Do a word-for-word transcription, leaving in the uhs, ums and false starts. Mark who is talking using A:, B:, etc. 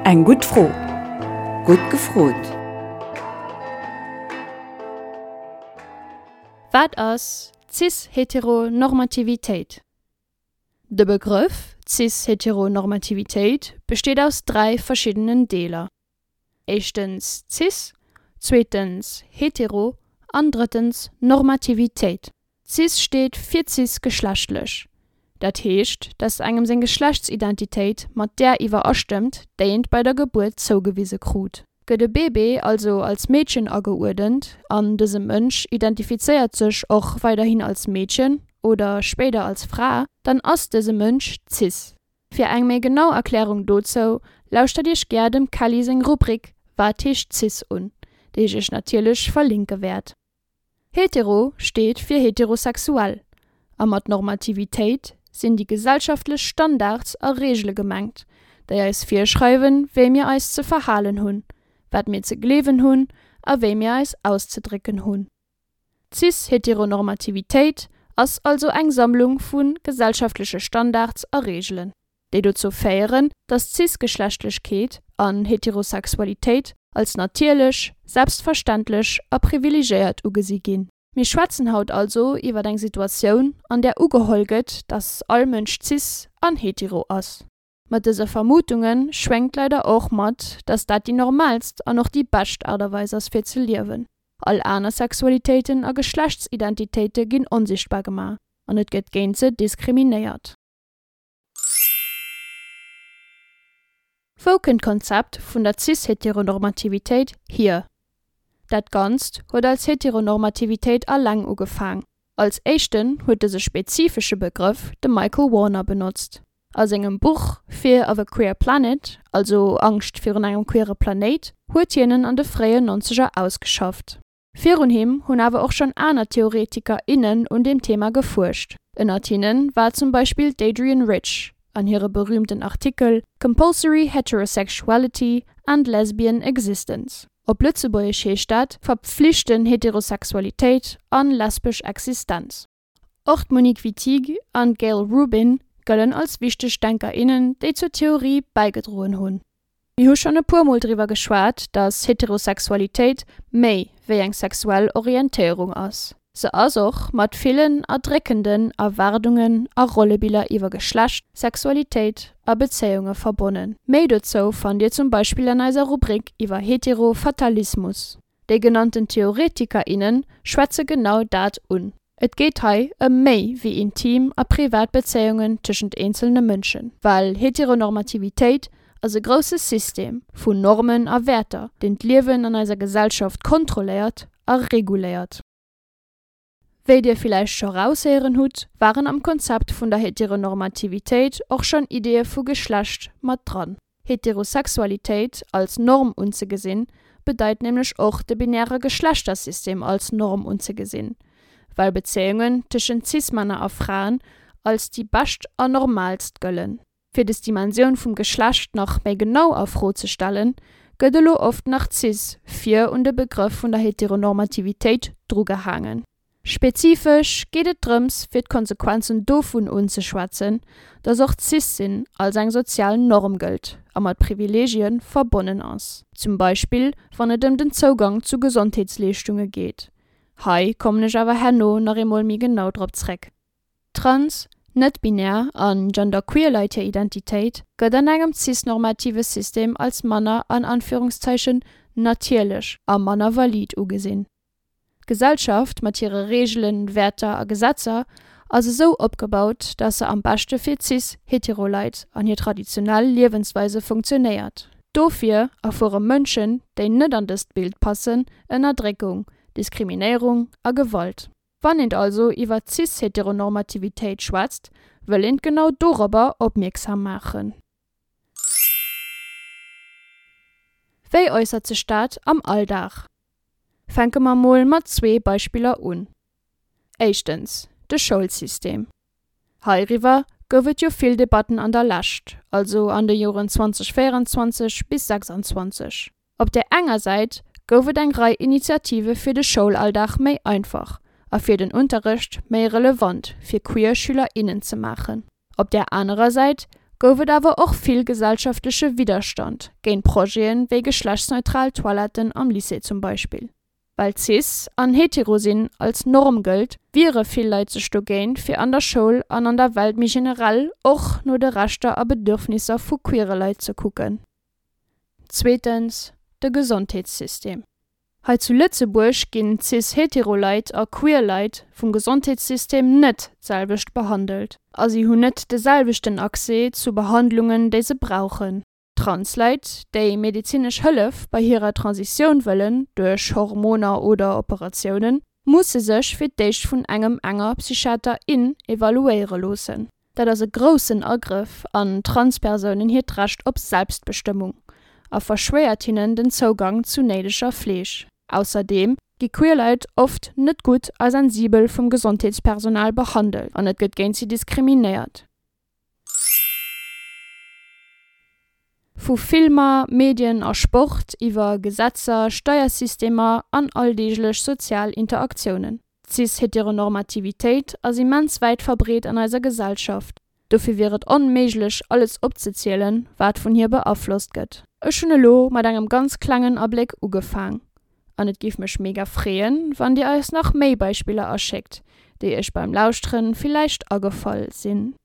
A: Eng gutt Fro.
B: Gutt gefrot!
C: Wat ass Cis-Heteronormativitéit? De Begrëff Cis-Heteronormativitéit besteet aus dräi verschiddenen Deeler, éischtens cis, zweetens hetero an drëttens Normativitéit. Cis steet fir cis-geschlechtlech. Dat heescht, dass engem seng Geschlechtsidentitéit mat där iwwerastëmmt, déi eent bei der Gebuert zougewise krut. Gëtt e Bébé also als Meedchen ageuerdent an dëse Mënsch identifizéiert sech och weiderhin als Meedchen oder spéider als Fra, dann ass dëse Mënsch cis. Fir eng méi genau Erklärung dozou, lauschtert iech gär dem Kelly seng Rubrik Wat heescht cis un, déi ech iech natierlech verlinke wäert. Hetero steet fir heterosexuell a mat Normativitéit sinn déi gesellschaftlech Standards a Reegele gemengt, déi eis virschreiwen, wéi mir eis ze verhalen hunn, wat mir ze gleewen hunn a wéi mir eis auszedrécken hunn. Cis-Heteronormativitéit ass also eng Sammlung vu gesellschaftleche Standards a Reegelen, déi dozou féieren, dass Cis-Geschlechtlechkeet an Heterosexualitéit als natierlech, selbstverständlech a privilegéiert ugesi ginn. Mir schwätzen haut also iwwer eng Situatioun, an där ugeholl gëtt, dass all Mënsch cis an hetero ass. Mat dëse Vermutunge schwéngt leider och mat, dass dat déi normaalst an och déi bescht Aart a Weis ass fir ze liewen. All aner Sexualitéiten a Geschlechtsidentitéite ginn onsichtbar gemaach an et gëtt géint se diskriminéiert. Wou kënnt d'Konzept vun der Cis-Heteronormativitéit hier? Dat Ganzt huet als Heteronormativitéit alleng ugefaang. Als éischten huet dëse spezifesche Begrëff de Michael Warner benotzt. A sengem Buch Fear of a Queer Planet, also Angscht virun engem queere Planéit, huet hien en an de fréien Nonzeger ausgeschafft. Virun him hunn awer och schonn aner Theoretiker, innen un deem Thema gefuerscht. Ënnert hinne war zum Beispill d'Adrienne Rich an hire berüümten Artikel Compulsory Heterosexuality and Lesbian Existence. Op Lëtzebuergesch heescht dat Verpflichten Heterosexualitéit an lesbesch Existenz. Och d'Monique Wittig an d'Gayle Rubin gëllen als wichteg Denker, innen, déi zur Theorie bäigedroen hunn. Mir hu schonn e puer Mol driwwer geschwat, dass Heterosexualitéit méi wéi eng sexuell Orientéierung ass. Se ass och mat villen erdréckenden Erwaardungen a Rollebiller iwwer Geschlecht, Sexualitéit a Bezéiunge verbonnen. Méi dozou fannt Dir zum Beispill an eiser Rubrik iwwer Heterofatalismus. Déi genannten Theoretiker, inne schwätze genau dat un. Et geet hei ëm méi wéi intim a privat Bezéiungen tëschent eenzelne Mënschen, well Heteronormativitéit ass e grousse System vun Normen a Wäerter, deen d'Liewen an eiser Gesellschaft kontrolléiert a reguléiert. Wéi Dir villäicht scho raushéieren hutt, waren am Konzept vun der Heteronormativitéit och schonn Ideeë vu Geschlecht mat dran. Heterosexualitéit als Norm unzegesinn, bedeit nämlech och de binäre Geschlechtersystem als Norm unzegesinn, well Bezéiungen tëschent Cis-Männer a Fraen als déi bescht a normaalst gëllen. Fir des Dimensioun vum Geschlecht nach méi genau a Fro ze stellen, gëtt elo oft nach cis vir un de Begrëff vun der Heteronormativitéit drugehaangen. Spezifesch geet et drëms, fir d'Konsequenzen dovun unzeschwätzen, dass och d'Cis-Sinn als eng sozial Norm gëllt a mat Privileegie verbonnen ass, zum Beispill wann et ëm den Zougang zu Gesondheetsleeschtunge geet. Hei kommen ech awer herno nach eemol méi genau drop zréck. Trans, net-binär an genderqueer Leit hir Identitéit gëtt an engem cisnormative System als manner an Anführungszeichen natierlech a manner valid ugesinn. D'Gesellschaft mat hire Reegelen, Wäerter a Gesetzer ass esou opgebaut, dass se am beschte fir cis-hetero Leit an hir traditionell Liewensweise funktionéiert. Dofir erfuere Mënschen, déi net an dëst Bild passen, Ënnerdréckung, Diskriminéierung a Gewalt. Wann eent also iwwer Cis-Heteronormativitéit schwätzt, wëll eent genau dorobber opmierksam maachen. Wéi äussert sech dat am Alldag? Fänke mer mol mat zwee Beispiller un. Éischtens, de Schoulsystem. Heiriwwer gouf et jo vill Debatten an der Lescht, also an de Joren zweedausendvéierenzwanzeg bis sechsanzwanzeg. Op där enger Säit gouf et eng Rei Initiative fir de Schoulalldag méi einfach a fir den Unterrecht méi relevant fir queer Schüler, innen ze maachen. Op där anerer Säit gouf et awer och vill gesellschaftleche Widderstand géint Projete wéi geschlechtsneutral Toiletten am Lycée zum Beispill. Well cis an hetero sinn als Norm gëllt, wiere vill Leit sech dogéint, fir an der Schoul an an der Welt méi generell och no de Rechter a Bedürfnisser vu queere Leit ze kucken. Zweetens, de Gesondheetssystem. Hei zu Lëtzebuerg ginn cis-hetero Leit a queer Leit vum Gesondheetssystem net d'selwecht behandelt a si hunn net de selwechten Accès zu Behandlungen, déi se brauchen. Trans-Leit, déi medezinesch Hëllef bei hirer Transitioun wëllen, duerch Hormoner oder Operatiounen, musse sech fir d'éischt vun engem, enger Psychiater, in evaluéiere loossen. Dat ass e groussen Agrëff an Trans-Persounen hiert Recht op Selbstbestëmmung a verschwéiert hinnen den Zougang zu néideger Fleeg. Ausserdeem gi queer Leit oft net gutt a sensibel vum Gesondheetspersonal behandelt an et gëtt géint si diskriminéiert. Vu Filmer, Medien a Sport iwwer Gesetzer, Steiersystemer an alldeeglech sozial Interaktiounen, D'Cis-Heteronormativitéit ass immens wäit verbreet an eiser Gesellschaft. Dofir wier et onméiglech alles opzezielen, wat vun hir beaflosst gëtt. Ech hunn elo mat engem ganz klengen Abléck ugefaang an et géif mech mega freeën, wann dir eis nach méi Beispiller aschéckt, déi iech beim Lauschteren villäicht agefall sinn.